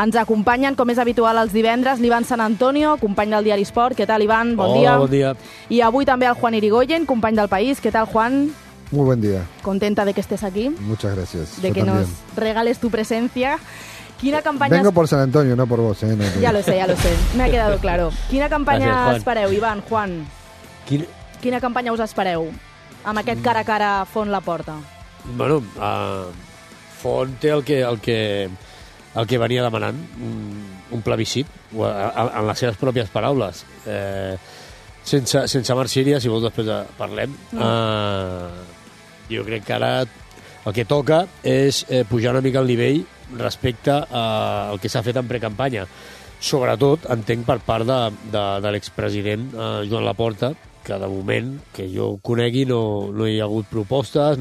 Ens acompanyen, com és habitual, els divendres, l'Ivan San Antonio, company del diari Sport. Què tal, Ivan? Bon dia. Bon dia. Y avui també el Juan Irigoyen, company del País. ¿Qué tal, Juan? Muy buen día. Contenta de que estés aquí. Muchas gracias. De Yo que también. nos regales tu presencia. Quina campanya... Vengo por San Antonio, no por vos. No Ya lo sé, me ha quedado claro. Quina campanya Gràcies, Juan. espereu, Ivan, Juan? Quina campanya us espereu amb aquest cara a cara Font-Laporta? Bueno, Font té el que venia demanant, un plebiscit, en les seves pròpies paraules. Sense marxíria, si vols després parlem. Jo crec que ara el que toca és pujar una mica el nivell respecte al que s'ha fet en precampanya. Sobretot, entenc, per part de l'expresident Joan Laporta, que de moment, que jo conegui, no hi ha hagut propostes,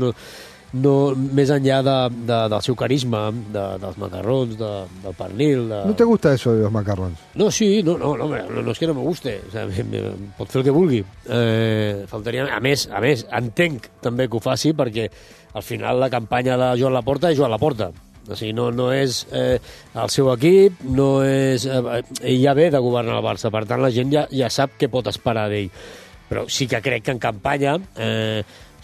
més enllà del seu carisma, dels macarrons, del pernil... ¿No te gusta eso de los macarrons? No, sí, no és que no me guste. O sea, pot fer el que vulgui. Faltaria... A més, entenc també que ho faci perquè al final la campanya de Joan Laporta és Joan Laporta. O sigui, no és el seu equip, no és... ell ja ve de governar el Barça, per tant la gent ja sap què pot esperar d'ell. Però sí que crec que en campanya,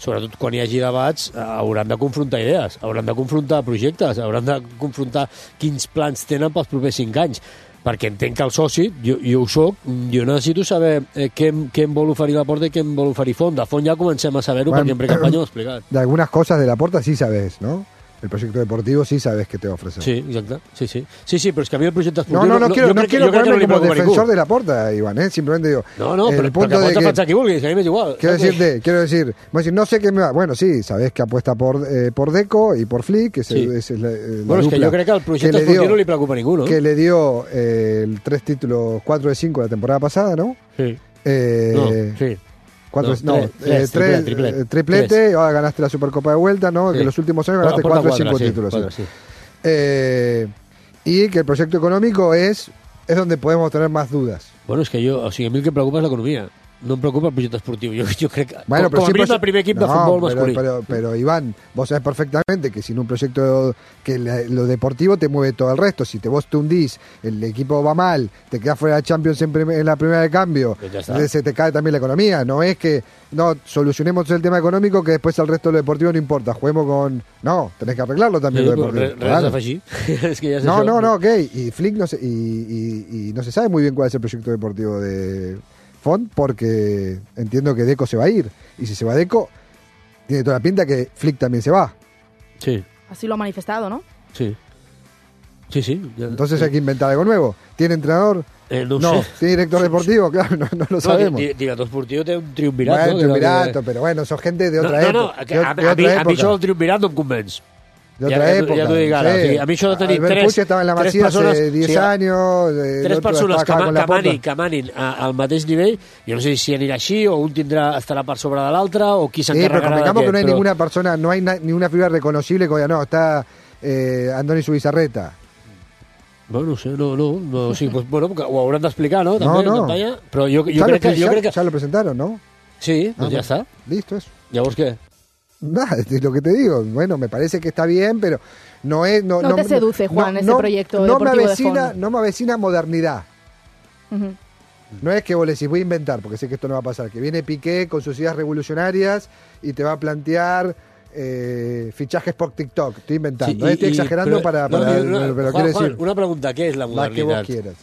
sobretot quan hi hagi debats, hauran de confrontar idees, hauran de confrontar projectes, hauran de confrontar quins plans tenen pels propers 5 anys. Perquè entenc que el soci, jo ho soc, jo necessito saber què em vol oferir Laporta i què em vol oferir Font. De Font ja comencem a saber-ho, bueno, perquè en precampanya ho he explicat. De algunas cosas de Laporta sí sabes, ¿no? El proyecto deportivo sí sabes qué te va a ofrecer. Sí, exacte. Sí, però és que a mi el projecte esportiu... No quiero ponerme como defensor ningú. de Laporta, Iván, simplemente digo... No, però pots defensar qui vulguis, a mi m'és igual. Quiero decir, no sé qué me va... Bueno, sí, sabes que apuesta por Deco y por Flick, que sí. es la bueno, és que jo crec que el projecte esportiu no li preocupa a ningú, no? Que le dio 3 títulos, 4 de 5 la temporada pasada, ¿no? Sí. Sí. Triplete, ahora ganaste la Supercopa de vuelta, ¿no? Sí. Que en los últimos años ganaste 4 o 5 títulos. Sí. Y que el proyecto económico es donde podemos tener más dudas. Bueno, és que a mi el que em preocupa és l'economia. No em preocupa el projecte esportiu. Jo crec que, bueno, com a mínim, el primer equip de futbol masculí. Pero, Iván, vos sabés perfectamente que sin un proyecto que lo deportivo te mueve todo el resto. Si vos te hundís, el equipo va mal, te quedás fuera de Champions en la primera de cambio, entonces se te cae también la economía. No es que solucionemos el tema económico que después el resto de lo deportivo no importa. Juguemos con... No, tenés que arreglarlo también lo deportivo. Es que ja ok. Y Flick no se sabe muy bien cuál es el proyecto deportivo de Font, porque entiendo que Deco se va a ir, y si se va Deco tiene toda la pinta que Flick también se va. Sí. Así lo ha manifestado, ¿no? Sí. Entonces hay que inventar algo nuevo. ¿Tiene entrenador? No sé. ¿Tiene director deportivo? Claro, no lo sabemos. Director esportiu té un triumvirat, bueno, un triumvirato, pero bueno, son gente de otra época. A mi això del triumvirat no em convenç. De otra época. Ja t'ho dic ara. Sí. O sigui, a mi això de tenir Puig estava en la Masía hace 10 años. 3 persones que manin al mateix nivell, jo no sé si anirà així, o un estarà per sobre de l'altre, o qui s'encarregarà de què. Que no hay ninguna persona, no hay ninguna figura reconocible que diga, no, está Andoni Subizarreta. Bueno, no sé, no sí, pues, bueno, ho hauran d'explicar, no? També, en campanya, però jo crec que... Ya lo presentaron, ¿no? Sí, pues ya está. Listo, eso. Llavors què? Nada, es lo que te digo. Bueno, me parece que está bien, pero no es... No te seduce, Juan, ese proyecto deportivo de Font. No me avecina modernidad. No es que vos le decís, voy a inventar, porque sé que esto no va a pasar, que viene Piqué con sus ideas revolucionarias y te va a plantear fichajes por TikTok. Estoy inventando, estoy exagerando pero Juan, quiero decir... Una pregunta, ¿qué es la modernidad? La que vos quieras.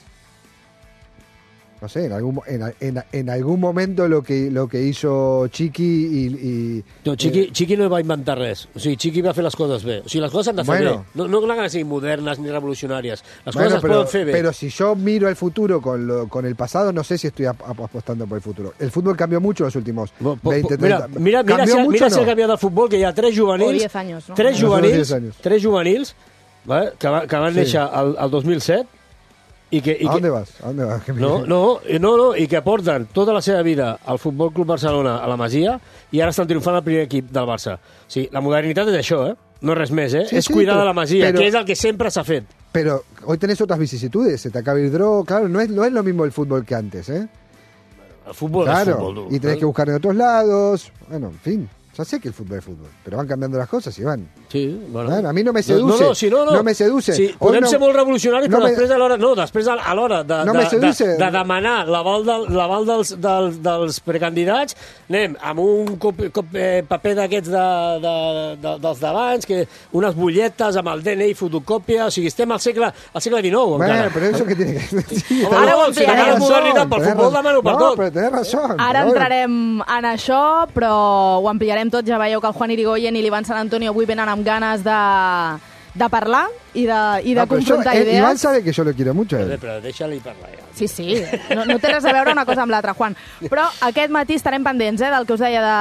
No sé, en algún momento lo que hizo Chiqui y no, Chiqui no va inventar res. O sigui, Chiqui va fer les coses bé. O sigui, les coses s'han de fer bé. No que siguin modernes ni revolucionàries. Les coses es poden fer bé. Pero si yo miro el futuro con el pasado, no sé si estoy apostando por el futuro. El fútbol cambió mucho en los últimos 20, 30... Mira si ha canviat el futbol, que hi ha 3 juvenils... O 10 anys, no? 3 juvenils que van néixer al 2007. ¿A dónde vas? No, i que porten tota la seva vida al Futbol Club Barcelona a la Masia i ara estan triomfant al primer equip del Barça. O sigui, la modernitat és això, no res més, és cuidar de la Masia, que és el que sempre s'ha fet. Pero hoy tenés otras vicisitudes, se te acaba el draw, claro, no es lo mismo el fútbol que antes, El fútbol claro, es fútbol. Y tenés que buscar en otros lados, bueno, en fin. Ya sé que el fútbol es fútbol, pero van cambiando las cosas y van. Sí, bueno. A mí no me seduce. No me seduce. Sí, podem ser molt revolucionaris, però després a l'hora de demanar l'aval dels precandidats, anem amb un paper d'aquests dels d'abans, unes butlletes amb el DNI fotocòpia, o sigui, estem al segle XIX, encara. Però això que tiene que... Sí, ara ho ampliarem. Pel futbol demano per tot. No, però tens raó. Ara entrarem en això, però ho ampliarem tot. Ja veieu que el Juan Irigoyen i l'Ivan San Antonio avui venen amb ganes de parlar i de confrontar idees. Iván sabe que yo lo quiero mucho. Però deixa-li parlar. Ja. Sí. No té res a veure una cosa amb l'altra, Juan. Però aquest matí estarem pendents del que us deia de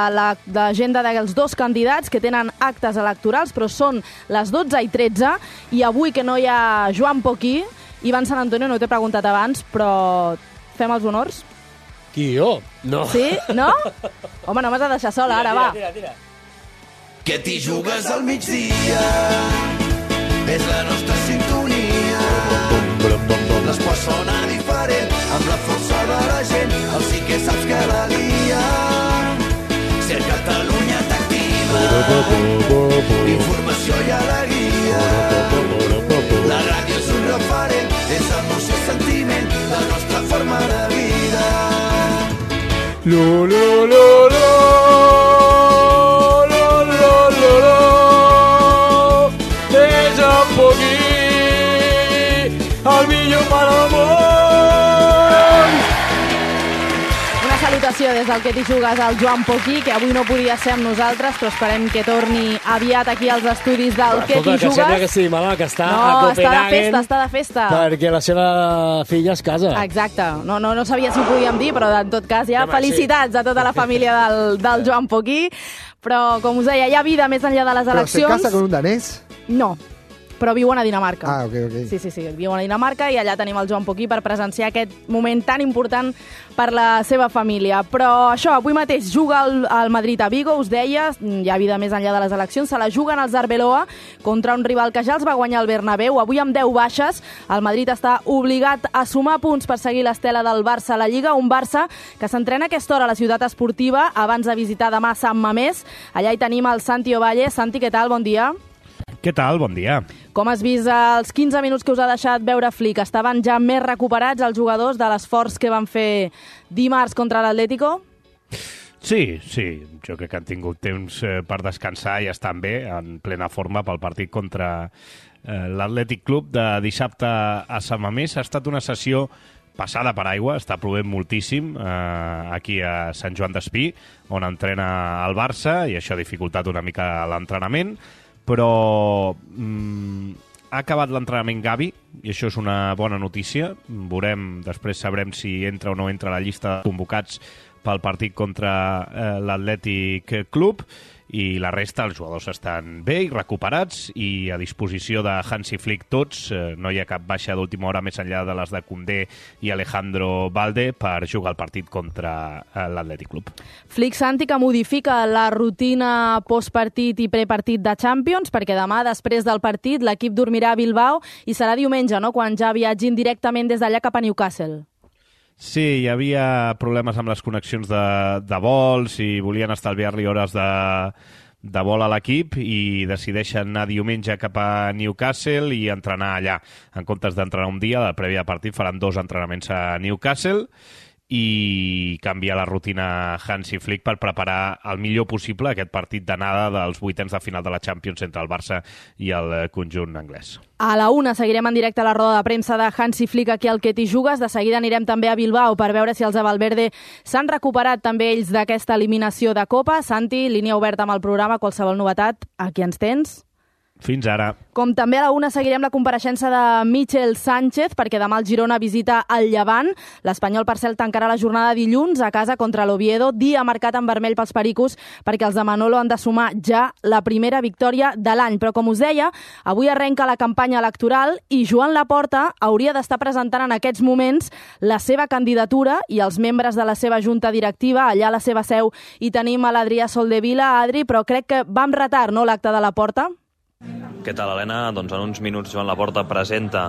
l'agenda dels dos candidats que tenen actes electorals, però són les 12:13 i avui que no hi ha Joan Poquí, Iván San Antonio, no t'he preguntat abans, però fem els honors? Qui, jo? No. Sí? No? Home, no m'has de deixar sola, ara, va. Tira. Que t'hi jugues al migdia, és la nostra sintonia. L'esport sona diferent, amb la força de la gent, el sí que saps que la lia. Si el Catalunya t'activa, informació i alegria. La ràdio és un referent, és emoció i sentiment, la nostra forma de vida. El millor per al món! Una salutació des del que t'hi jugues al Joan Poquí, que avui no podia ser amb nosaltres, però esperem que torni aviat aquí als estudis del que t'hi jugues. Que sembla que sí, malalt, que està a Copenhagen. Està de festa. Perquè la seva filla es casa. Exacte. No sabia si ho podíem dir, però en tot cas ja felicitats a tota la família del Joan Poquí. Però, com us deia, hi ha vida més enllà de les eleccions. Però se casa con un danès? No. Però viuen a Dinamarca. Ah, ok. Sí, viuen a Dinamarca i allà tenim el Joan Poquí per presenciar aquest moment tan important per la seva família. Però això, avui mateix juga el Madrid a Vigo, us deia, hi ha vida més enllà de les eleccions, se la juguen els Arbeloa contra un rival que ja els va guanyar el Bernabéu, avui amb 10 baixes, el Madrid està obligat a sumar punts per seguir l'estela del Barça a la Lliga, un Barça que s'entrena a aquesta hora a la ciutat esportiva abans de visitar demà Sant Mamés. Allà hi tenim el Santi Ovalle. Santi, què tal? Bon dia. Què tal? Bon dia. Com has vist els 15 minuts que us ha deixat veure Flick? Estaven ja més recuperats els jugadors de l'esforç que van fer dimarts contra l'Atlético? Sí. Jo crec que han tingut temps per descansar i estan bé, en plena forma pel partit contra l'Atlètic Club de dissabte a Sant Mamés. Ha estat una sessió passada per aigua, està plovent moltíssim aquí a Sant Joan d'Espí, on entrena el Barça, i això ha dificultat una mica l'entrenament, però ha acabat l'entrenament Gavi, i això és una bona notícia. Després sabrem si entra o no entra a la llista de convocats pel partit contra l'Atlètic Club, i la resta, els jugadors estan bé i recuperats i a disposició de Hansi Flick tots. No hi ha cap baixa d'última hora més enllà de les de Koundé i Alejandro Balde per jugar el partit contra l'Atlètic Club. Flick, Santi, que modifica la rutina postpartit i prepartit de Champions, perquè demà, després del partit, l'equip dormirà a Bilbao i serà diumenge, no?, quan ja viatgin directament des d'allà cap a Newcastle. Sí, hi havia problemes amb les connexions de vols i volien estalviar-li hores de vol a l'equip i decideixen anar diumenge cap a Newcastle i entrenar allà. En comptes d'entrenar un dia, de prèvia partit faran 2 entrenaments a Newcastle i canvia la rutina Hansi Flick per preparar el millor possible aquest partit d'anada dels 8ens de final de la Champions entre el Barça i el conjunt anglès. A la 1 seguirem en directe la roda de premsa de Hansi Flick aquí al que t'hi jugues. De seguida anirem també a Bilbao per veure si els de Valverde s'han recuperat també ells d'aquesta eliminació de Copa. Santi, línia oberta amb el programa, qualsevol novetat, aquí ens tens? Fins ara. Com també a la 1 seguirem la compareixença de Michel Sánchez, perquè demà el Girona visita el Llevant. L'Espanyol, per cert, tancarà la jornada dilluns a casa contra l'Oviedo, dia marcat en vermell pels pericos, perquè els de Manolo han de sumar ja la primera victòria de l'any. Però, com us deia, avui arrenca la campanya electoral i Joan Laporta hauria d'estar presentant en aquests moments la seva candidatura i els membres de la seva junta directiva, allà a la seva seu. I tenim a l'Adrià Soldevila. Adri, però crec que va amb retard, no?, l'acte de Laporta? Què tal, Helena? Doncs en uns minuts Joan Laporta presenta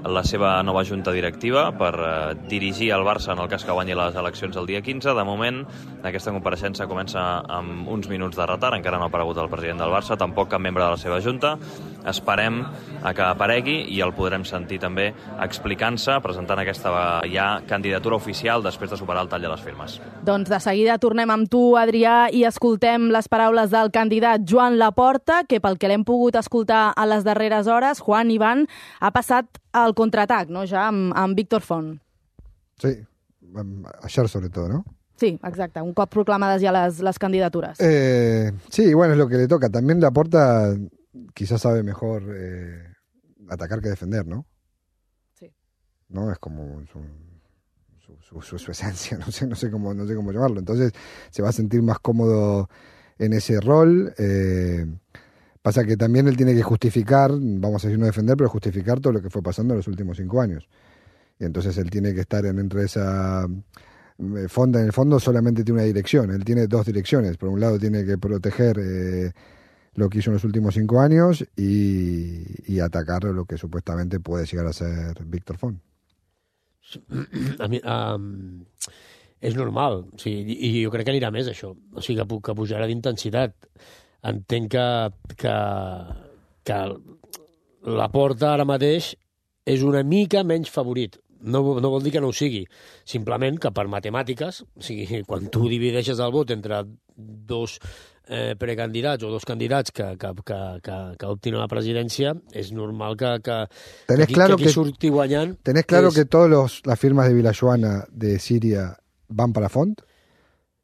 la seva nova junta directiva per dirigir el Barça en el cas que guanyi les eleccions el dia 15. De moment, aquesta compareixença comença amb uns minuts de retard, encara no ha aparegut el president del Barça, tampoc cap membre de la seva junta. Esperem a que aparegui i el podrem sentir també explicant-se, presentant aquesta ja candidatura oficial després de superar el tall de les firmes. Doncs de seguida tornem amb tu, Adrià, i escoltem les paraules del candidat Joan Laporta, que pel que l'hem pogut escoltar a les darreres hores, Juan Iván ha passat al contraatac, no? Ja amb Víctor Font. Sí, ayer sobre todo, ¿no? Sí, exacte, un cop proclamades ya las candidaturas. Sí, bueno, es lo que le toca. También Laporta quizás sabe mejor atacar que defender, ¿no? Sí. ¿No? Es como su esencia, no sé cómo llamarlo. Entonces se va a sentir más cómodo en ese rol. Pasa que también él tiene que justificar, vamos a decir no defender, pero justificar todo lo que fue pasando en los últimos 5 años. Y entonces él tiene que estar dentro de esa fonda. En el fondo solamente tiene una dirección, él tiene 2 direcciones. Por un lado tiene que proteger lo que hizo en los últimos 5 años y atacar lo que supuestamente puede llegar a ser Víctor Font. A mi, és normal, o sigui, i jo crec que anirà més això, o sigui, que pujarà d'intensitat. Entenc que Laporta ara mateix és una mica menys favorit. No vol dir que no ho sigui, simplement que per matemàtiques, o sigui, quan tu divideixes el vot entre 2 precandidats o 2 candidats que optin a la presidència, és normal que aquí surti guanyant. ¿Tenés claro que todas las firmas de Vilajoana de Siria van para Font?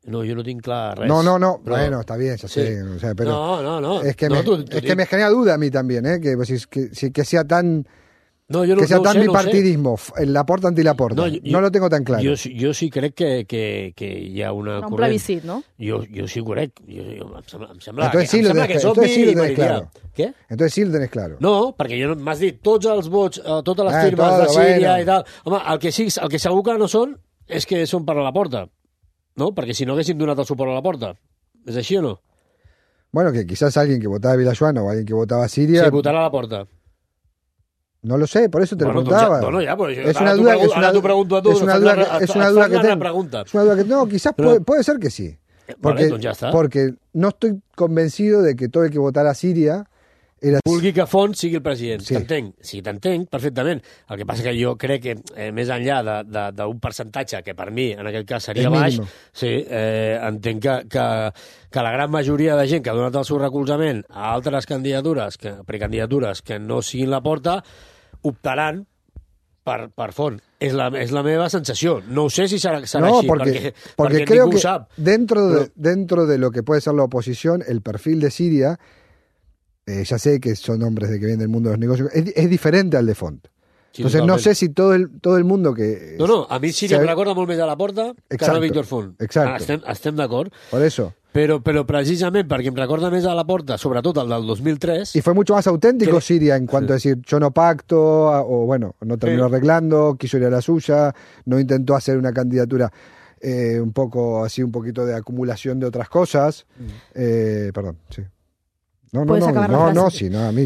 No, jo no tinc clar res. No, però... bueno, está bien, ya sé. O sea, pero no. Es que, que me genera duda a mí también, que sea tan... No, jo no, que sea no tan sé, bipartidismo, el Laporta anti-Laporta. No lo tengo tan claro. Jo sí crec que hi ha una corrent. Un plebiscit, ¿no? Jo sí ho crec. Em sembla que és obvi i meridià. Què? Entonces sí lo tenés claro. No, perquè m'has dit tots els vots, totes les firmes de Síria i tal. Home, el que segur que no són és que són per a Laporta. No? Perquè si no haguéssim donat el suport a Laporta. ¿Es així o no? Bueno, que quizás alguien que votaba a Vilajoana o alguien que votaba a Siria... Sí, votarà a Laporta. No lo sé, por eso te lo preguntaba. Bueno, ya, pues es una duda que ahora tú pregunto a tú. Es una duda que tengo. No, quizás puede ser que sí. Porque, vale, ya está. Porque no estoy convencido de que todo el que votara a Síria era... Vulgui que Font sigui el president. Sí. T'entenc. Sí, t'entenc perfectament. El que passa que jo crec que més enllà d'un percentatge que per mi en aquest cas seria baix, sí, entenc que la gran majoria de gent que ha donat el seu recolzament a altres precandidatures que no siguin Laporta optaran per Font. És la meva sensació. No sé si serà així, perquè creo ningú que sap. Dentro de lo que puede ser la oposición, el perfil de Siria, ya sé que son hombres de que vienen del mundo de los negocios, es diferente al de Font. Sí, entonces totalment. No sé si todo el mundo que... No, a mi Síria me recorda molt més a Laporta que a Víctor Font. Exacto. Estem d'acord. Por eso. Pero precisamente porque me recuerda más a Laporta, sobre todo al del 2003... Y fue mucho más auténtico Siria en cuanto a decir, yo no pacto, o bueno, no terminó arreglando, quiso ir a la suya, no intentó hacer una candidatura un poquito de acumulación de otras cosas. Perdón, sí. No, a mí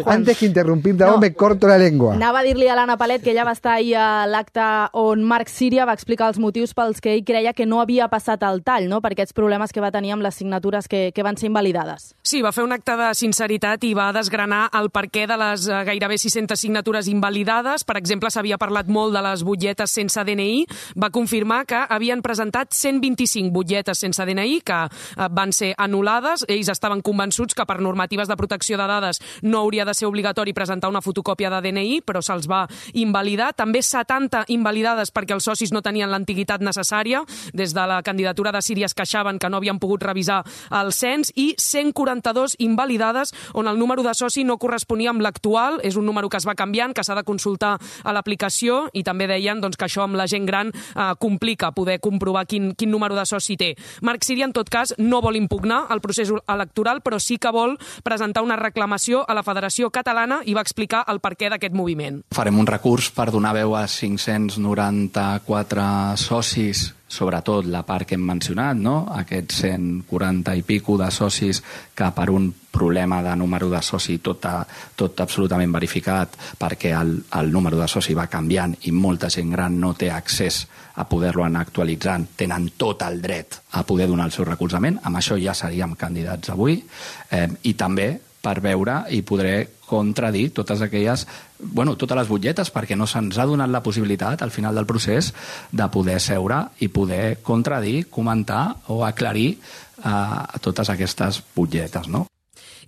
antes que interrumpir-te me corto la llengua. Anava a dir-li a l'Anna Palet que ella va estar ahir a l'acte on Marc Síria va explicar els motius pels que ell creia que no havia passat el tall, no? Per aquests problemes que va tenir amb les signatures que van ser invalidades. Sí, va fer un acte de sinceritat i va desgranar el perquè de les gairebé 600 signatures invalidades. Per exemple, s'havia parlat molt de les butlletes sense DNI. Va confirmar que havien presentat 125 butlletes sense DNI que van ser anul·lades. Ells estaven convençuts que per normatives de protecció de dades no hauria de ser obligatori presentar una fotocòpia de DNI, però se'ls va invalidar. També 70 invalidades perquè els socis no tenien l'antiguitat necessària. Des de la candidatura de Síria es queixaven que no havien pogut revisar el cens, i 142 invalidades on el número de soci no corresponia amb l'actual. És un número que es va canviant, que s'ha de consultar a l'aplicació, i també deien que això amb la gent gran complica poder comprovar quin número de soci té. Marc Síria, en tot cas, no vol impugnar el procés electoral, però sí que vol presentar una reclamació a la Federació Catalana i va explicar el perquè d'aquest moviment. Farem un recurs per donar veu a 594 socis sobretot la part que hem mencionat, no? Aquests 140 i pico de socis que per un problema de número de soci tot absolutament verificat, perquè el número de soci va canviant i molta gent gran no té accés a poder-lo anar actualitzant, tenen tot el dret a poder donar el seu recolzament. Amb això ja seríem candidats avui. I també per veure i podré contradir totes aquelles, totes les butlletes, perquè no se'ns ha donat la possibilitat al final del procés de poder seure i poder contradir, comentar o aclarir totes aquestes butlletes, no?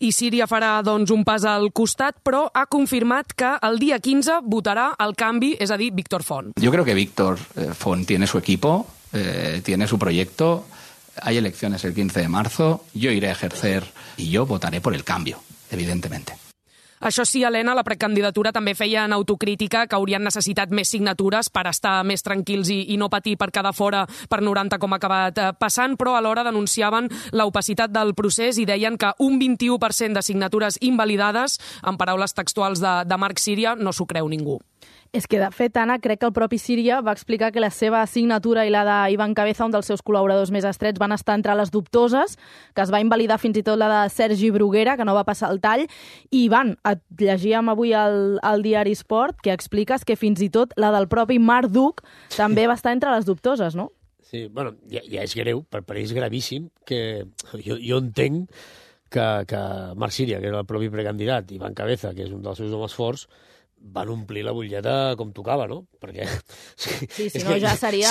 I Síria farà, doncs, un pas al costat, però ha confirmat que el dia 15 votarà el canvi, és a dir, Víctor Font. Yo creo que Víctor Font tiene su equipo, tiene su proyecto. Hay elecciones el 15 de marzo, yo iré a ejercer y yo votaré por el cambio, evidentemente. Això sí, Helena, la precandidatura també feia en autocrítica que haurien necessitat més signatures per estar més tranquils i no patir per quedar fora per 90 com ha acabat passant, però alhora denunciaven l'opacitat del procés i deien que un 21% de signatures invalidades, en paraules textuals de Marc Síria, no s'ho creu ningú. És que, de fet, Anna, crec que el propi Síria va explicar que la seva signatura i la d'Ivan Cabeza, un dels seus col·laboradors més estrets, van estar entre les dubtoses, que es va invalidar fins i tot la de Sergi Bruguera, que no va passar el tall, i et llegíem avui al diari Sport, que expliques que fins i tot la del propi Marc Duc també va estar entre les dubtoses, no? Sí, bueno, ja és greu, per ell és gravíssim, que jo entenc que Marc Síria, que era el propi precandidat, i Ivan Cabeza, que és un dels seus homes forts, van omplir la butlleta com tocava, no? Perquè... Sí, si no ja seria...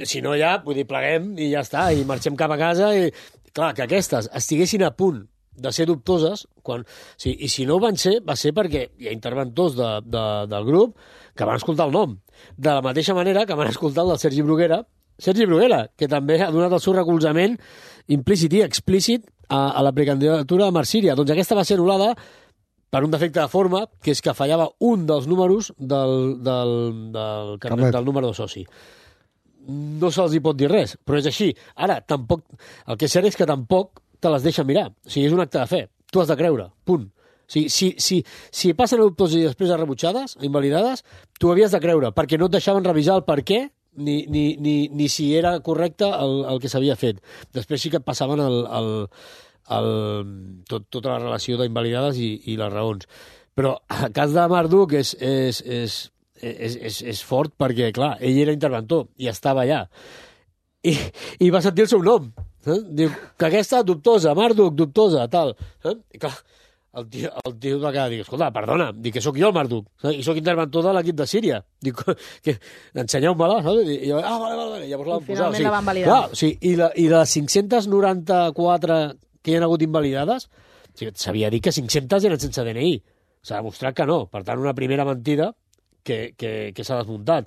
Si no ja, vull dir, pleguem i ja està, i marxem cap a casa i... Clar, que aquestes estiguessin a punt de ser dubtoses, i si no ho van ser, va ser perquè hi ha interventors del grup que van escoltar el nom. De la mateixa manera que van escoltar el del Sergi Bruguera, que també ha donat el seu recolzament implícit i explícit a la precandidatura de Marc Síria. Doncs aquesta va ser anul·lada per un defecte de forma, que és que fallava un dels números del número de soci. No se'ls hi pot dir res, però és així. Ara, tampoc, el que és cert és que tampoc te les deixa mirar. O sigui, és un acte de fe. Tu has de creure, punt. O sigui, si passen a dubtoses i després a rebutjades, a invalidades, tu havies de creure, perquè no et deixaven revisar el per què ni si era correcte el que s'havia fet. Després sí que et passaven tota la relació d'invalidades i les raons. Però el cas de Marc Duc és fort perquè, clar, ell era interventor i estava allà. I va sentir el seu nom. Diu que aquesta dubtosa, Marc Duc, dubtosa, tal. I clar, el tio va quedar, dic, escolta, perdona, dic que sóc jo el Marc Duc, i sóc interventor de l'equip de Síria. Dic, ensenyeu-me-la, saps? I jo, vale, llavors la van posar. Finalment la van validar. Clar, i les 594 que hi ha hagut invalidades, s'havia dit que 500 eren sense DNI. S'ha demostrat que no. Per tant, una primera mentida que s'ha desmuntat.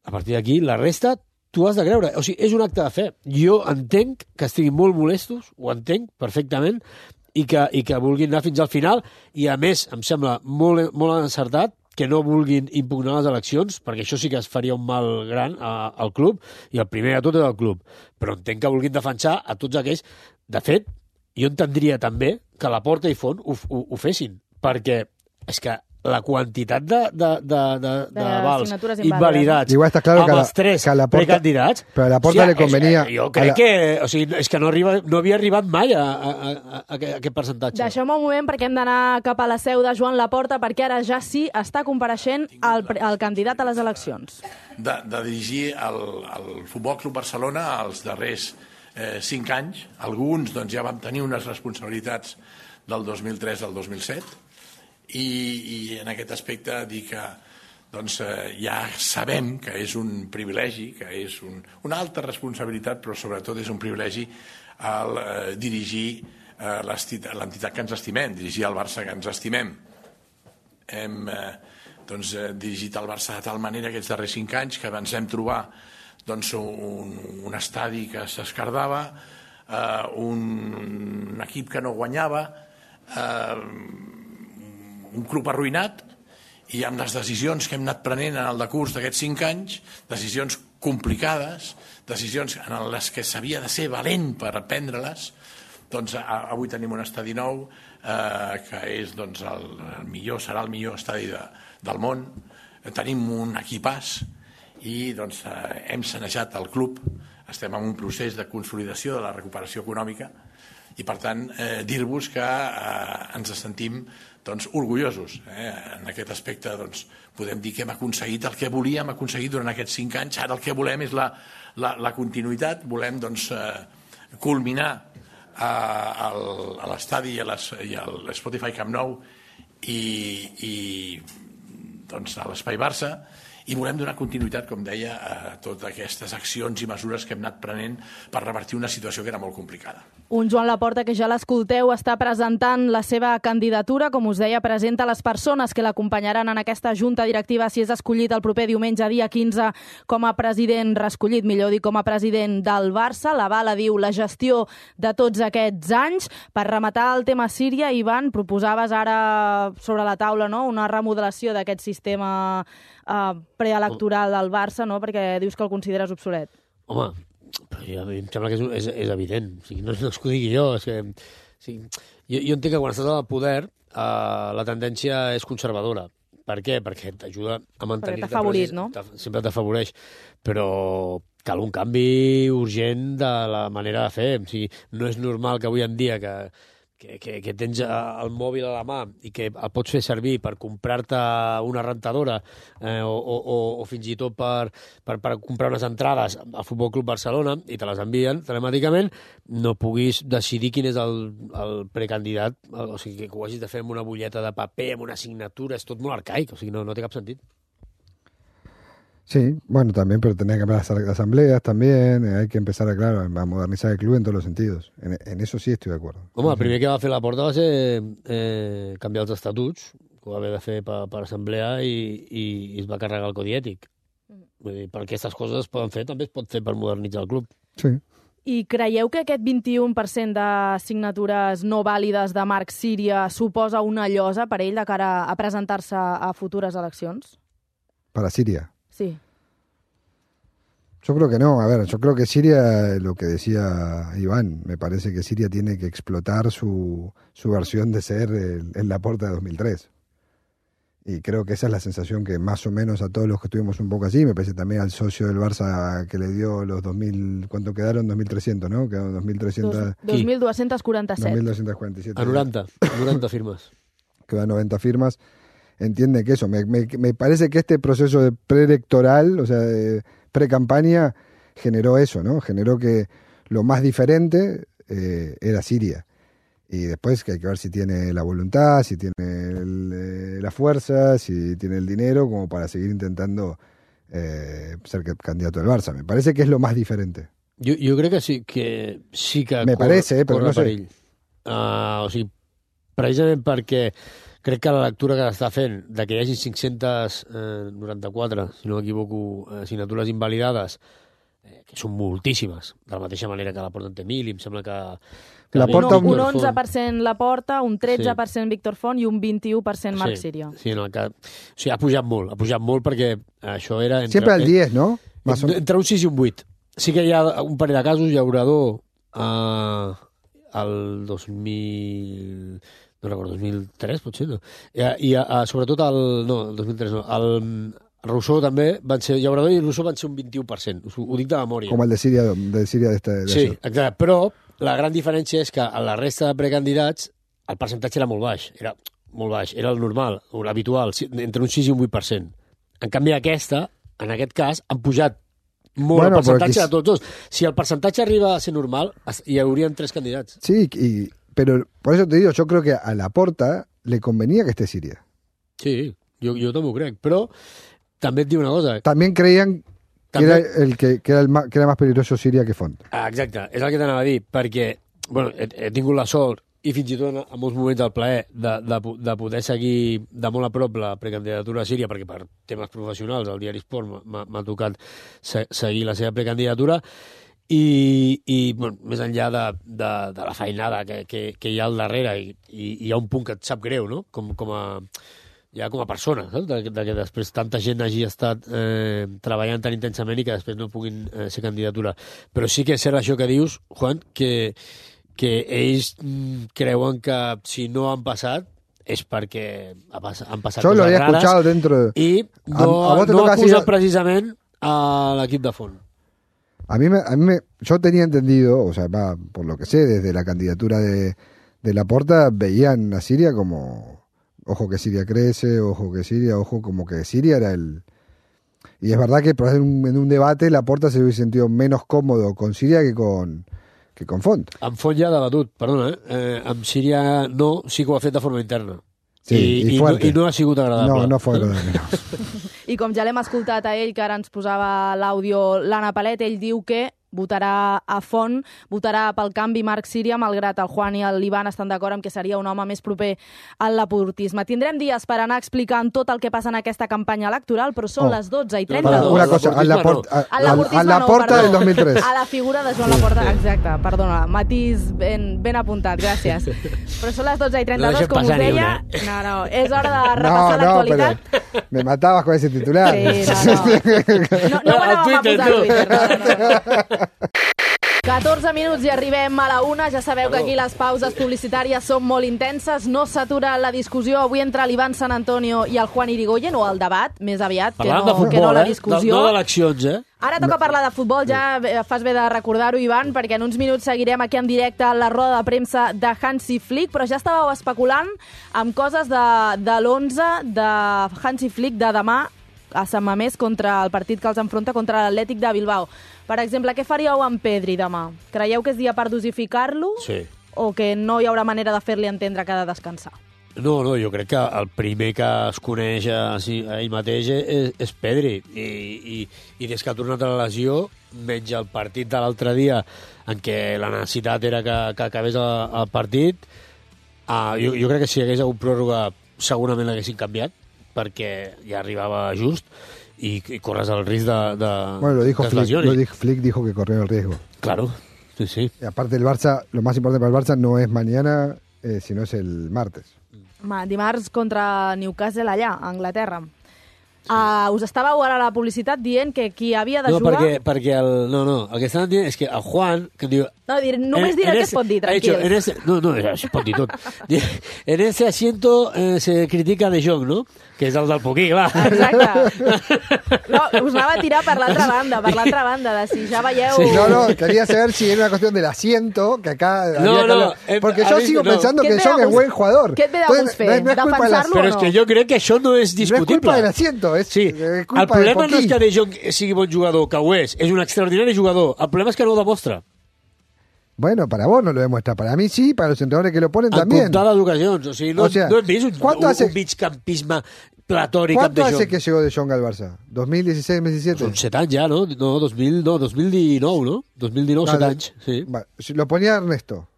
A partir d'aquí, la resta, tu has de creure. O sigui, és un acte de fe. Jo entenc que estiguin molt molestos, ho entenc perfectament, i que vulguin anar fins al final, i a més, em sembla molt, molt encertat que no vulguin impugnar les eleccions, perquè això sí que es faria un mal gran al club, i el primer de tot és el club. Però entenc que vulguin defensar a tots aquells. De fet, jo entendria també que Laporta i Font ho fessin, perquè és que la quantitat de vals invalidats amb els tres precandidats... Però a Laporta li convenia... Jo crec que... O sigui, és que no havia arribat mai a aquest percentatge. Deixeu-me un moment perquè hem d'anar cap a la seu de Joan Laporta, perquè ara ja sí està compareixent el candidat a les eleccions. De dirigir el Futbol Club Barcelona els darrers 5 anys. Alguns ja vam tenir unes responsabilitats del 2003 al 2007, i en aquest aspecte dir que ja sabem que és un privilegi, que és una alta responsabilitat, però sobretot és un privilegi el dirigir l'entitat que ens estimem, dirigir el Barça que ens estimem. Hem dirigit el Barça de tal manera aquests darrers 5 anys que ens hem trobar un estadi que s'escardava, un equip que no guanyava, un club arruïnat, i amb les decisions que hem anat prenent en el decurs d'aquests 5 anys, decisions complicades, decisions en les que s'havia de ser valent per prendre-les, avui tenim un estadi nou que és el millor, serà el millor estadi del món, tenim un equipàs, i doncs, hem sanejat el club, estem en un procés de consolidació de la recuperació econòmica i, per tant, dir-vos que ens sentim doncs, orgullosos. En aquest aspecte doncs, podem dir que hem aconseguit el que volíem aconseguir durant aquests 5 anys. Ara el que volem és la continuïtat, volem doncs, culminar a l'estadi i a l'Spotify Camp Nou i doncs, a l'Espai Barça, i volem donar continuïtat, com deia, a totes aquestes accions i mesures que hem anat prenent per revertir una situació que era molt complicada. Un Joan Laporta que ja l'escolteu està presentant la seva candidatura. Com us deia, presenta les persones que l'acompanyaran en aquesta junta directiva si és escollit el proper diumenge, dia 15, com a president reescollit, millor dir, com a president del Barça. L'avala, diu, la gestió de tots aquests anys. Per rematar el tema Síria, Ivan, proposaves ara sobre la taula, no?, una remodelació d'aquest sistema preelectoral del Barça, no?, perquè dius que el consideres obsolet. Home, però a mi em sembla que és evident. O sigui, no és que ho digui jo. És que, o sigui, jo entenc que quan estàs al poder la tendència és conservadora. Per què? Perquè t'ajuda a mantenir... Perquè t'ha favorit, no? Sempre t'afavoreix. Però cal un canvi urgent de la manera de fer. O sigui, no és normal que avui en dia que tens el mòbil a la mà i que el pots fer servir per comprar-te una rentadora o fins i tot per comprar unes entrades al Futbol Club Barcelona i te les envien telemàticament, no puguis decidir quin és el precandidat, o sigui, que ho hagis de fer amb una butlleta de paper, amb una signatura, és tot molt arcaic, o sigui, no té cap sentit. Sí, bueno, también, pero tenía que haber las asambleas también, hay que empezar a modernizar el club en todos los sentidos. En eso sí estoy de acuerdo. Home, el primer que va fer Laporta va ser canviar els estatuts, que ho va haver de fer per assemblea i es va carregar el codi ètic. Vull dir, per aquestes coses es poden fer, també es pot fer per modernitzar el club. Sí. I creieu que aquest 21% de signatures no vàlides de Marc Síria suposa una llosa per ell de cara a presentar-se a futures eleccions? Para Siria. Sí. Yo creo que no. A ver, yo creo que Siria, lo que decía Iván, me parece que Siria tiene que explotar su versión de ser el Laporta de 2003. Y creo que esa es la sensación que más o menos a todos los que estuvimos un poco así, me parece también al socio del Barça que le dio los 2.000, ¿cuánto quedaron? 2.300, ¿no? Quedaron 2.300... 2.247. 2.247. A 90 firmes. Quedan 90 firmas. Entiende que eso, me parece que este proceso de preelectoral, o sea, de pre-campaña, generó eso, ¿no? Generó que lo más diferente era Siria. Y después que hay que ver si tiene la voluntad, si tiene la fuerza, si tiene el dinero, como para seguir intentando ser candidato del Barça. Me parece que es lo más diferente. Jo crec que sí que me parece, però no sé. Perill. O sigui, precisament perquè crec que la lectura que s'està fent de que hi hagi 594, si no m'equivoco, signatures invalidades, que són moltíssimes, de la mateixa manera que la Porta en té 1.000, i em sembla que un 11% la Porta, un 13% Víctor Font i un 21% Marc Síria. Sí, no, o sigui, ha pujat molt perquè això era... Sempre al 10, no? Entre un 6 i un 8. Sí que hi ha un parell de casos, Llaurador, el 2000... no recordo, 2003 potser, no? I sobretot el 2003 no, el Rousseau també van ser, Llaurador i Rousseau van ser un 21%, ho dic de memòria. Com el de Síria sí, exacte, però la gran diferència és que a la resta de precandidats el percentatge era molt baix, era el normal, l'habitual, entre un 6 i un 8%. En canvi aquesta, en aquest cas, han pujat molt el percentatge de tots dos. Si el percentatge arriba a ser normal, hi haurien 3 candidats. Sí, pero por eso te digo, yo creo que a Laporta le convenía que esté Siria. Sí, jo també ho crec, però també et dic una cosa. También creían que era más peligroso Siria que Font. Exacte, és el que t'anava a dir, perquè bueno, he tingut la sort i fins i tot en molts moments el plaer de poder seguir de molt a prop la precandidatura a Síria, perquè per temes professionals al diari Esport m'ha tocat seguir la seva precandidatura, i bueno, més enllà de la feinada que hi ha al darrere, i hi ha un punt que et sap greu, no? Com a persona, saps? De que després tanta gent hagi estat treballant tan intensament i que després no puguin ser candidatura. Però sí que és cert això que dius, Juan, que ells creuen que si no han passat és perquè han passat Yo coses rares dentro de... i no acusen precisament a l'equip de Font? Yo tenía entendido, o sea, por lo que sé, desde la candidatura de Laporta, veían a Siria como, ojo que Siria crece, ojo que Siria, ojo como que Siria era el... Y es verdad que en un debate Laporta se hubiese sentido menos cómodo con Siria que con Font. Amb Font ja ha debatut, perdona, amb Síria no, sí que ho ha fet de forma interna. Sí, I no ha sigut agradable. No fue agradable. I com ja l'hem escoltat a ell, que ara ens posava l'àudio l'Anna Palet, ell diu que votarà a Font, votarà pel canvi Marc Síria, malgrat el Juan i l'Ivan estan d'acord amb que seria un home més proper al laportisme. Tindrem dies per anar explicant tot el que passa en aquesta campanya electoral, però són les 12:32. Una cosa, al Laporta del 2003. A la figura de Joan Laporta, exacte, perdona, matís ben apuntat, gràcies. Però són les 12:32, com us deia. No, és hora de repassar l'actualitat. Me matabas con ese titular. Sí, no me la vam a posar al Twitter, 14 minuts i arribem a la 1. Ja sabeu que aquí les pauses publicitàries són molt intenses. No s'atura la discussió avui entre l'Ivan San Antonio i el Juan Irigoyen, o el debat, més aviat, que no la discussió. No d'eleccions, Ara toca parlar de futbol, ja fas bé de recordar-ho, Ivan, perquè en uns minuts seguirem aquí en directe la roda de premsa de Hansi Flick, però ja estàveu especulant amb coses de l'11 de Hansi Flick de demà a Sant Mamés contra el partit que els enfronta contra l'Atlètic de Bilbao. Per exemple, què faríeu amb Pedri demà? Creieu que és dia per dosificar-lo? Sí. O que no hi haurà manera de fer-li entendre que ha de descansar? No, jo crec que el primer que es coneix a ell mateix és Pedri. I des que ha tornat a la lesió, menys el partit de l'altre dia, en què la necessitat era que acabés el partit, jo crec que si hi hagués hagut pròrroga segurament l'haguessin canviat, perquè ja arribaba just y corres el risc de bueno, lo dijo Flick dijo que corrió el riesgo. Claro, sí. Y aparte el Barça, lo más importante para el Barça no es mañana, sino es el martes. Dimarts contra Newcastle allà, a Anglaterra. Us estàveu ara a la publicitat dient que qui havia de jugar... Perquè el que estan dient és que el Juan... Que diu, només diré el que es pot dir, tranquils. Es pot dir tot. En ese asiento se critica De Jong, ¿no? Que és el del Poquí, va. Exacte. No, us anava a tirar per l'altra banda, de si ja veieu... Sí. No, quería saber si era una cuestión del asiento, que acá... Porque yo sigo pensando que De Jong es buen jugador. Què et ve de gust fer? Defensar-lo o no? Però és que jo crec que això no és discutible. No és culpa del asiento. Sí, el problema no és que De Jong sigui bon jugador, que ho és un extraordinari jugador. El problema és que no ho demostra. Bueno, para vos no lo demuestra. Para mí sí, para los entrenadores que lo ponen también. En comptades ocasions. O sigui, no hem vist un migcampisme platòric amb De Jong. ¿Cuánto hace que llegó De Jong al Barça? ¿2016, 2017? Son 7 anys ja, no? 2019, ¿no? 2019, 7 anys, sí. Lo ponía Ernesto.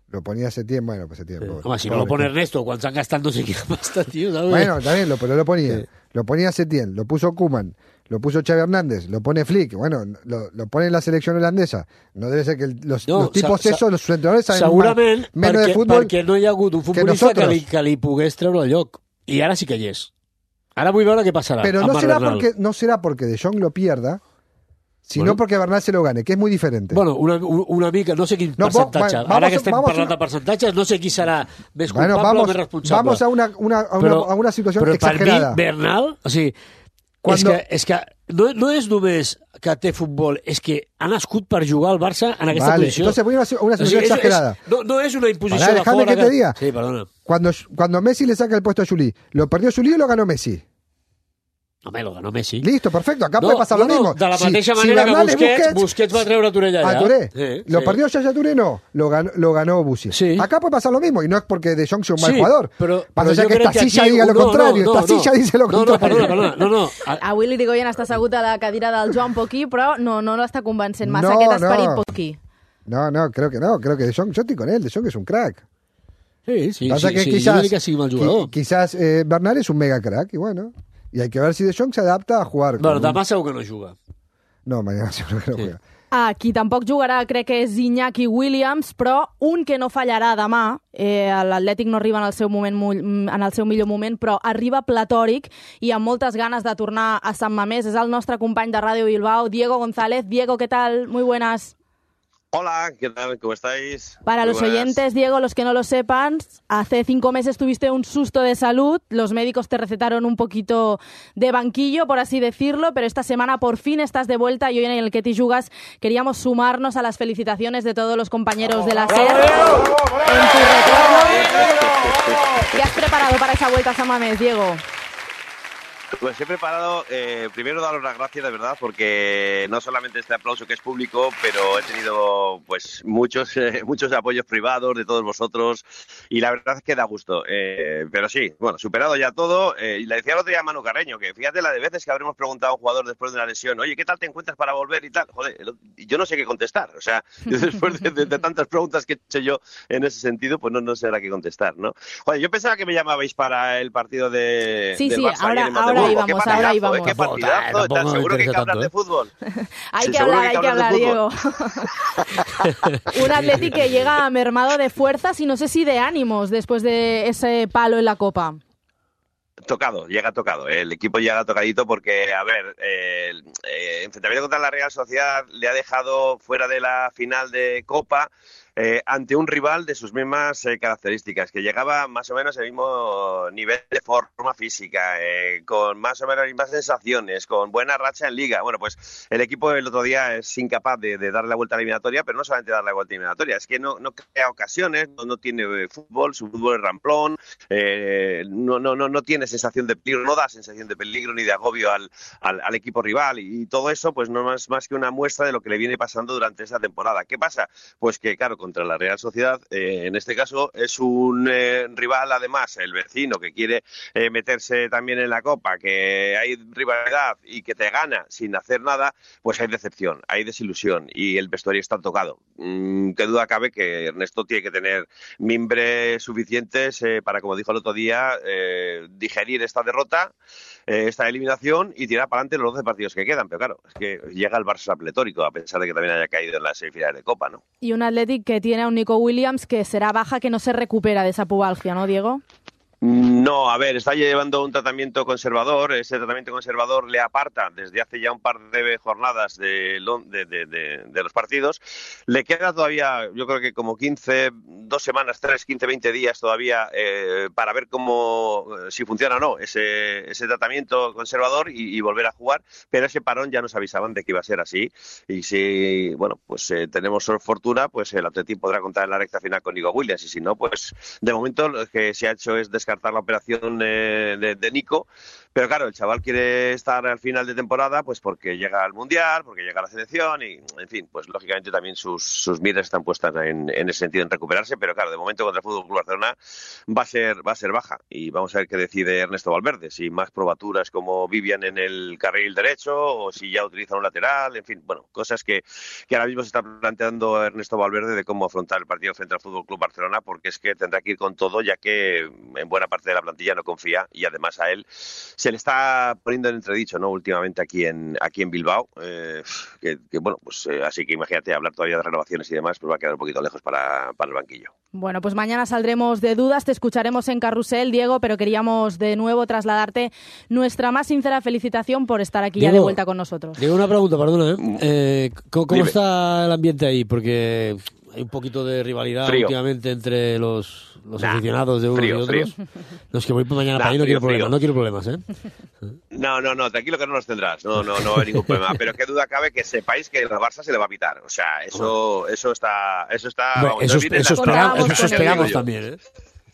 Lo ponía hace tiempo, bueno, pues hace tiempo. Home, si no lo pone Ernesto, quan s'han gastat no sé quina pasta, tío, ¿sabes? Bueno, también lo ponía. Sí. Lo ponía Setién, lo puso Koeman, lo puso Xavi Hernández, lo pone Flick, bueno, lo pone en la selección holandesa. No debe ser que los tipos esos, los entrenadores saben menos de fútbol perquè no hi ha hagut un futbolista que li pogués treure el lloc. I ara sí que hi és. Ara vull veure què passarà. Pero no será porque De Jong lo pierda, sino porque Bernal se lo gane, que es muy diferente. Bueno, una mica, no sé quin percentatge. Ara que estem parlant de percentatges, no sé qui serà més culpable o més responsable. Vamos a una situación exagerada. Però per mi, Bernal, o sigui, és que no és només que té futbol, és que ha nascut per jugar al Barça en aquesta posició. Entonces voy a una situación exagerada. No és una imposició de fora. Que te diga. Sí, perdona. Cuando Messi le saca el puesto a Juli, ¿lo perdió Juli o lo ganó Messi? Home, lo ganó Messi. Listo, perfecto. Acá puede pasar lo mismo. De la mateixa manera que Busquets va treure a Touré allà. A Touré. ¿Lo perdió Yaya Touré? No. Lo ganó Bussi. Sí. Acá puede pasar lo mismo. Y no es porque De Jong sea un mal jugador. Però passa que esta silla diga lo contrario. Esta silla dice lo contrario. No. Avui l'Irigoyen està assegut a la cadira del Joan Poquí, però no l'està convencent massa aquest esperit Poquí. No, creo que no. Creo que De Jong, yo estoy con él. De Jong es un crack. Sí. Pasa que quizás Bernal es un mega crack y bueno... Y hay que ver si De Jong s'adapta a jugar. Bueno, demà segur que no juga. No, mañana seguro que no juega. Qui tampoc jugarà crec que és Iñaki Williams, però un que no fallarà demà, l'Atlètic no arriba en el seu millor moment, però arriba platòric i amb moltes ganes de tornar a Sant Mamés. És el nostre company de Ràdio Bilbao, Diego González. Diego, ¿qué tal? Muy buenas. Hola, ¿qué tal? ¿Cómo estáis? Para los oyentes, Diego, los que no lo sepan, hace 5 meses tuviste un susto de salud, los médicos te recetaron un poquito de banquillo, por así decirlo, pero esta semana por fin estás de vuelta y hoy en el Que t'hi jugues queríamos sumarnos a las felicitaciones de todos los compañeros de la SER en tu retorno. ¿Qué has preparado para esa vuelta a San Mamés, Diego? Pues he preparado, primero daros las gracias de verdad, porque no solamente este aplauso que es público, pero he tenido pues muchos apoyos privados de todos vosotros y la verdad es que da gusto. Pero sí, bueno, superado ya todo. Y le decía el otro día a Manu Carreño que fíjate la de veces que habremos preguntado a un jugador después de una lesión, oye, ¿qué tal te encuentras para volver y tal? Joder, yo no sé qué contestar. O sea, yo después de tantas preguntas que he hecho yo en ese sentido, pues no sé a qué contestar, ¿no? Joder, yo pensaba que me llamabais para el partido del Barça ayer en Madrid. Ahora íbamos. Qué partidazo, ¿estás seguro que hay que hablar de fútbol? Hay que hablar, Diego. Un Atleti que llega mermado de fuerzas y no sé si de ánimos después de ese palo en la Copa. Llega tocado. El equipo llega tocadito porque, a ver, el enfrentamiento contra la Real Sociedad le ha dejado fuera de la final de Copa ante un rival de sus mismas características, que llegaba más o menos al mismo nivel de forma física, con más o menos las mismas sensaciones, con buena racha en Liga. Bueno, pues el equipo el otro día es incapaz de darle la vuelta a la eliminatoria, pero no solamente darle la vuelta a la eliminatoria, es que no crea ocasiones, no tiene fútbol, su fútbol es ramplón, no tiene sensación de peligro, no da sensación de peligro ni de agobio al equipo rival, y todo eso pues no es más que una muestra de lo que le viene pasando durante esta temporada. ¿Qué pasa? Pues que, claro, contra la Real Sociedad, en este caso es un rival, además, el vecino, que quiere meterse también en la Copa, que hay rivalidad y que te gana sin hacer nada, pues hay decepción, hay desilusión y el vestuario está tocado. Qué duda cabe que Ernesto tiene que tener mimbres suficientes para, como dijo el otro día, digerir esta derrota, esta eliminación y tirar para adelante los 12 partidos que quedan. Pero claro, es que llega el Barça pletórico, a pesar de que también haya caído en las semifinales de Copa, ¿no? Y un Athletic que tiene a un Nico Williams que será baja, que no se recupera de esa pubalgia, ¿no, Diego? No, a ver, está llevando un tratamiento conservador. Ese tratamiento conservador le aparta desde hace ya un par de jornadas de los partidos. Le queda todavía, yo creo que como 2 semanas, 15, 20 días todavía para ver si funciona o no ese tratamiento conservador y volver a jugar. Pero ese parón ya nos avisaban de que iba a ser así. Y si, bueno, pues tenemos fortuna, pues el Atleti podrá contar en la recta final con Nico Williams. Y si no, pues de momento lo que se ha hecho es descartar la operación de Nico, pero claro, el chaval quiere estar al final de temporada pues porque llega al Mundial, porque llega a la selección y, en fin, pues lógicamente también sus miras están puestas en ese sentido, en recuperarse, pero claro, de momento contra el Fútbol Club Barcelona va a ser baja y vamos a ver qué decide Ernesto Valverde, si más probaturas como Vivian en el carril derecho o si ya utiliza un lateral, en fin, bueno, cosas que ahora mismo se está planteando Ernesto Valverde de cómo afrontar el partido frente al Fútbol Club Barcelona, porque es que tendrá que ir con todo, ya que en buena parte de la plantilla no confía y además a él se le está poniendo en entredicho, ¿no? Últimamente aquí en Bilbao, que bueno, pues así que imagínate, hablar todavía de renovaciones y demás, pues va a quedar un poquito lejos para el banquillo. Bueno, pues mañana saldremos de dudas, te escucharemos en Carrusel, Diego, pero queríamos de nuevo trasladarte nuestra más sincera felicitación por estar aquí, Diego, ya de vuelta con nosotros. Diego, una pregunta, perdona, ¿cómo está el ambiente ahí? Porque hay un poquito de rivalidad últimamente entre los aficionados de unos y otros. No, es que voy mañana para ahí, no quiero problemas, ¿eh? No, tranquilo que no los tendrás, no va a haber ningún problema, pero qué duda cabe que sepáis que el Barça se le va a pitar, o sea, eso está bueno, eso esperamos también, ¿eh?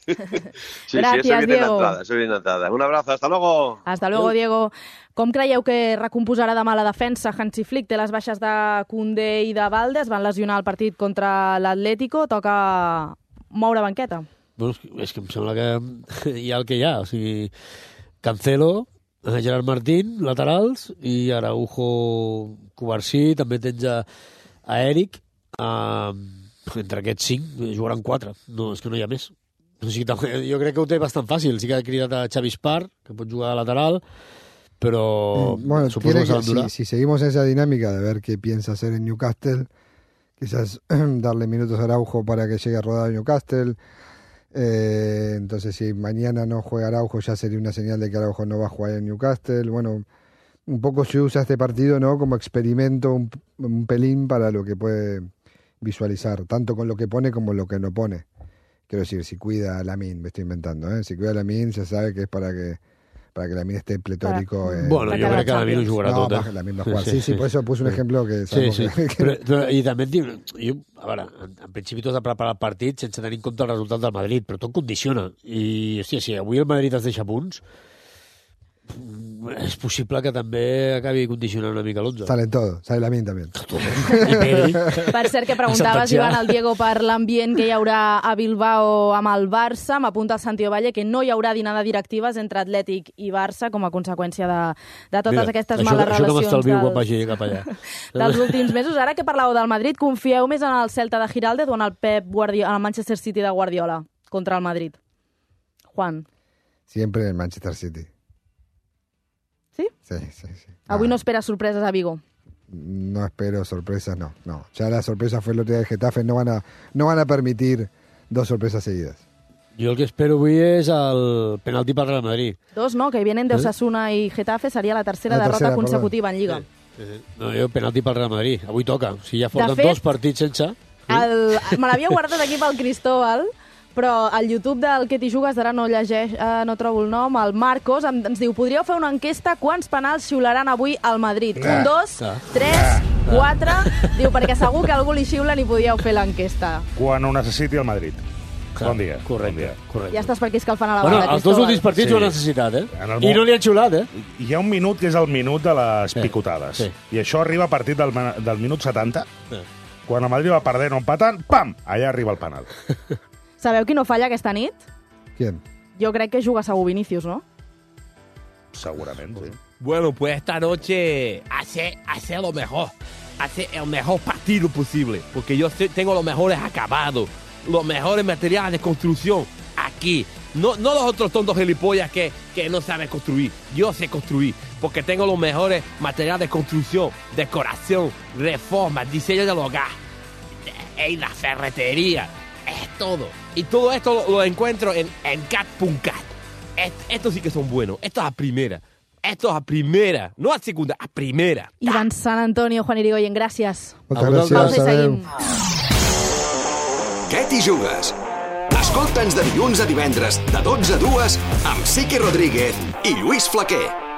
Sí, Gràcies, Diego. Eso viene entrada. Un abrazo, hasta luego. Hasta luego, Diego. Com creieu que recomposarà demà la defensa? Hansi Flick té les baixes de Koundé i de Balde, es van lesionar el partit contra l'Atlético, toca moure banqueta. Bueno, és que em sembla que hi ha el que hi ha, o sigui, Cancelo, Gerard Martín, laterals, i Araujo, Cubarsí, també tens a Eric, entre aquests 5 jugaran 4, no, és que no hi ha més. O sigui, jo crec que ho té bastant fàcil, sí que ha cridat a Xavi Espar, que pot jugar a lateral, pero bueno, si seguimos esa dinámica de ver qué piensa hacer en Newcastle, quizás darle minutos a Araujo para que llegue a rodar a Newcastle, entonces si mañana no juega Araujo ya sería una señal de que Araujo no va a jugar en Newcastle. Bueno, un poco se usa este partido, ¿no?, como experimento un pelín para lo que puede visualizar, tanto con lo que pone como lo que no pone. Quiero decir, si cuida a Lamine, me estoy inventando, si cuida a Lamine, se sabe que es para que Lamine esté pletórico. Bueno, jo crec que Lamine ho jugarà tot. No, Lamine va jugar. Sí, por eso puse un ejemplo que... Sí. Però, i també et dic, a veure, en principi tu has de preparar el partit sense tenir en compte el resultat del Madrid, però tot condiciona. I, hòstia, si avui el Madrid es deixa punts, és possible que també acabi condicionant una mica l'11. Salen todo, sale Lamine també. Per cert, que preguntaves, Ivan, al Diego, per l'ambient que hi haurà a Bilbao amb el Barça. M'apunta el Santi Ovalle que no hi haurà dinada directives entre Atlètic i Barça com a conseqüència de totes aquestes males relacions. Això no m'estalvio quan vagi cap allà. Dels últims mesos. Ara que parlàveu del Madrid, confieu més en el Celta de Giraldez o en el en el Manchester City de Guardiola contra el Madrid? Juan. Siempre en Manchester City. ¿Sí? Sí. Avui no esperas sorpreses a Vigo. No espero sorpresas, no. Ya la sorpresa fue el otro día de Getafe, no van a permitir 2 sorpresas seguidas. Jo el que espero avui és el penalti pel Real Madrid. 2, no, que vienen de Osasuna i Getafe, seria la tercera derrota consecutiva en Lliga. No, jo penalti pel Real Madrid. Avui toca. Si ja porten 2 partits sense... Me l'havia guardat aquí pel Cristóbal, però al YouTube del Que t'hi jugues, ara no trobo el nom, el Marcos ens diu, podríeu fer una enquesta quants penals xiularan avui al Madrid? 1, 2, 3, 4... Diu, perquè segur que algú li xiulen i podíeu fer l'enquesta. Quan ho necessiti el Madrid. Bon dia. Correcte. Ja estàs per aquí escalfant a la banda, els 2 últims partits ho han necessitat, I no li han xiulat, Hi ha un minut que és el minut de les picotades. I això arriba a partir del minut 70. Quan el Madrid va perdent o empatant, pam! Allà arriba el penal. Sabeu qui no falla aquesta nit? ¿Quién? Jo crec que juga segur Vinícius, ¿no? Segurament, sí. Bueno, pues esta noche hace lo mejor. Hace el mejor partido posible. Porque yo tengo los mejores acabados, los mejores materiales de construcción aquí. No los otros tontos gilipollas que no saben construir. Yo sé construir porque tengo los mejores materiales de construcción, decoración, reforma, diseño del hogar, en la ferretería. Es todo. Y todo esto lo encuentro en cat.cat. Estos sí que son buenos. Esto es a primera. Esto es a primera. No a segunda, a primera. Iván San Antonio, Juan Irigoyen, gràcies. Moltes gràcies. Seguim. Què t'hi jugues? Escolta'ns de dilluns a divendres, de 12 a 2, amb Sique Rodríguez i Lluís Flaquer.